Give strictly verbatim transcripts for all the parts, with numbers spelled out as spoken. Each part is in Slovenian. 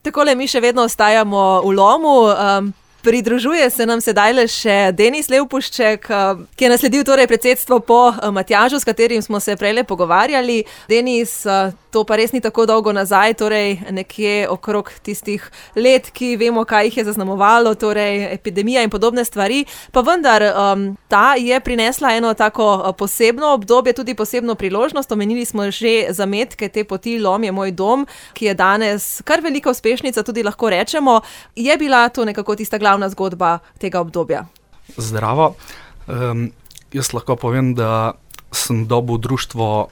Takole mi še vedno ostajamo v Lomu. Um, pridružuje se nam sedaj le še Denis Levpušček, ki je nasledil torej predsedstvo po Matjažu, s katerim smo se prejle pogovarjali. Denis, to pa res ni tako dolgo nazaj, torej nekje okrog tistih let, ki vemo, kaj jih je zaznamovalo, torej epidemija in podobne stvari. Pa vendar, um, ta je prinesla eno tako posebno obdobje, tudi posebno priložnost. Omenili smo že zametke te poti Lom je moj dom, ki je danes kar velika uspešnica, tudi lahko rečemo. Je bila to nekako tista glavna zgodba tega obdobja? Zdravo. Um, jaz lahko povem, da sem dobil društvo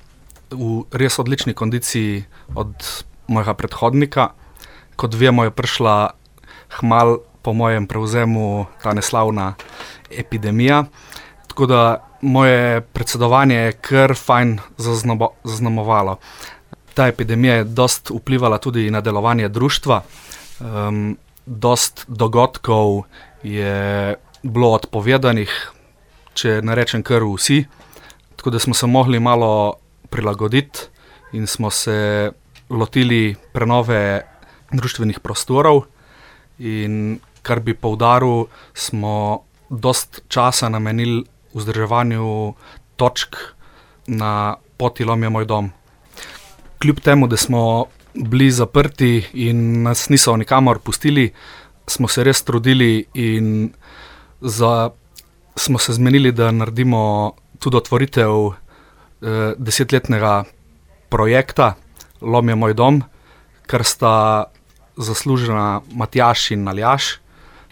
v res odlični kondiciji od mojega predhodnika. Kot vemo, je prišla hmal po mojem prevzemu ta neslavna epidemija. Tako da moje predsedovanje je kar fajn zaznamovalo. Ta epidemija je dost vplivala tudi na delovanje društva. Um, dost dogodkov je bilo odpovedanih, če ne rečem kar vsi. Tako da smo se mogli malo prilagoditi in smo se lotili prenove društvenih prostorov, in kar bi poudaril, smo dost časa namenili vzdrževanju točk na poti Lom je moj dom. Kljub temu, da smo bili zaprti in nas niso nikamor pustili, smo se res trudili in za, smo se zmenili, da naredimo tudi otvoritev desetletnega projekta Lom je moj dom, kar sta zaslužena Matjaž in Aljaž,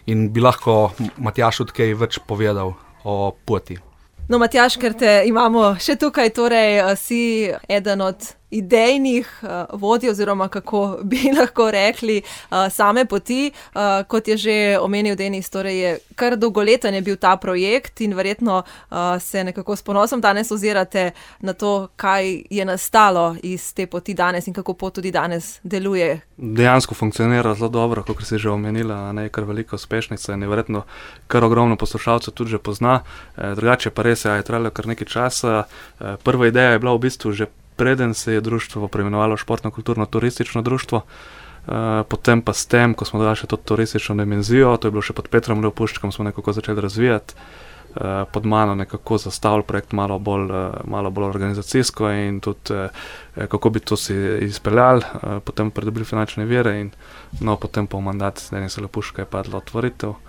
in bi lahko Matjaž tudi kaj več povedal o poti. No, Matjaž, ker te imamo še tukaj, torej si eden od idejnih uh, vodij, oziroma kako bi lahko rekli, uh, same poti. Uh, kot je že omenil Denis, torej je kar dolgoleten je bil ta projekt in verjetno uh, se nekako s ponosom danes ozirate na to, kaj je nastalo iz te poti danes in kako pot tudi danes deluje. Dejansko funkcionira zelo dobro, kot si že omenila, ne, kar velika uspešnica in je verjetno kar ogromno poslušalcev tudi že pozna. E, drugače pa res je trajalo kar nekaj časa. E, prva ideja je bila v bistvu že preden se je društvo preimenovalo Športno-kulturno-turistično društvo, e, potem pa s tem, ko smo dodali še to turistično dimenzijo, to je bilo še pod Petrom Levpuščkom, smo nekako začeli razvijati, e, pod mano nekako zastavili projekt malo bolj, malo bolj organizacijsko in tudi e, kako bi to si izpeljali, e, potem pridobili finančne vire in no, potem po mandat Denisa Levpuščka je padla otvoritev.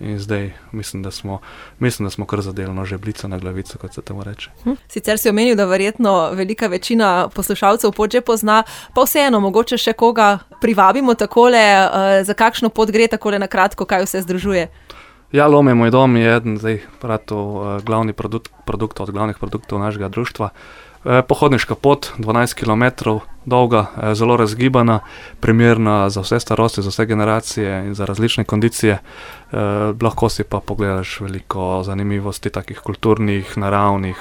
In zdaj mislim, da smo, mislim, da smo kar zadelno že blica na glavico, kot se temu reče. Sicer si omenil, da verjetno velika večina poslušalcev pot že pozna, pa vseeno, mogoče še koga privabimo takole, za kakšno pot gre takole na kratko, kaj vse združuje? Ja, Lom je moj dom je eden zdaj prato glavni produkt, produkt od glavnih produktov našega društva. Pohodniška pot, dvanajst kilometrov dolga, zelo razgibana, primerna za vse starosti, za vse generacije in za različne kondicije. Eh, lahko si pa pogledaš veliko zanimivosti, takih kulturnih, naravnih,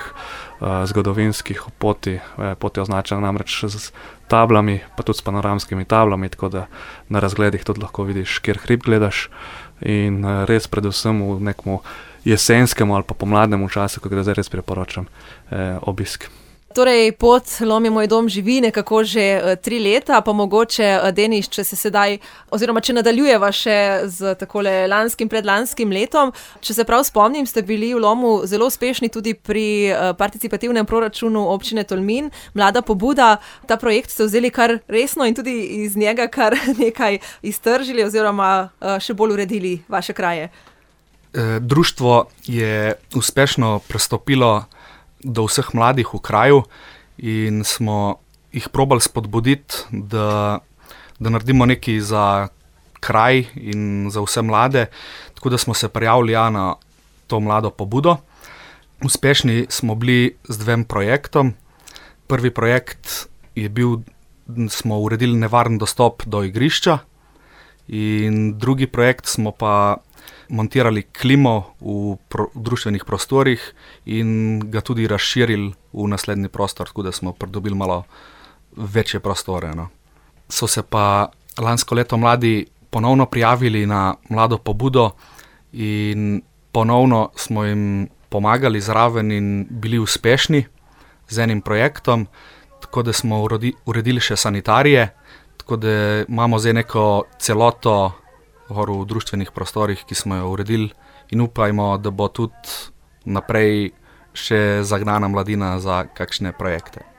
eh, zgodovinskih poti. Eh, pot je označena namreč z tablami, pa tudi s panoramskimi tablami, tako da na razgledih tudi lahko vidiš, kjer hrib gledaš. In eh, res predvsem v nekom jesenskemu ali pa pomladnemu času, ko ga zdaj res priporočam, eh, obisk. Torej, pot Lom je moj dom živi nekako že uh, tri leta, pa mogoče, uh, Denis, če se sedaj, oziroma če nadaljujeva še z takole lanskim, predlanskim letom, če se prav spomnim, ste bili v Lomu zelo uspešni tudi pri uh, participativnem proračunu občine Tolmin, Mlada pobuda. Ta projekt ste vzeli kar resno in tudi iz njega kar nekaj iztržili oziroma uh, še bolj uredili vaše kraje. E, društvo je uspešno prestopilo do vseh mladih v kraju in smo jih probali spodbuditi, da, da naredimo nekaj za kraj in za vse mlade, tako da smo se prijavili ja, na to Mlado pobudo. Uspešni smo bili z dvem projektom. Prvi projekt je bil, smo uredili nevaren dostop do igrišča, in drugi projekt smo pa montirali klimo v pro, društvenih prostorih in ga tudi razširili v naslednji prostor, tako da smo pridobili malo večje prostore. No. So se pa lansko leto mladi ponovno prijavili na Mlado pobudo in ponovno smo jim pomagali zraven in bili uspešni z enim projektom, tako da smo urodi, uredili še sanitarije, tako da imamo zdaj neko celoto v društvenih prostorih, ki smo jo uredili in upajmo, da bo tudi naprej še zagnana mladina za kakšne projekte.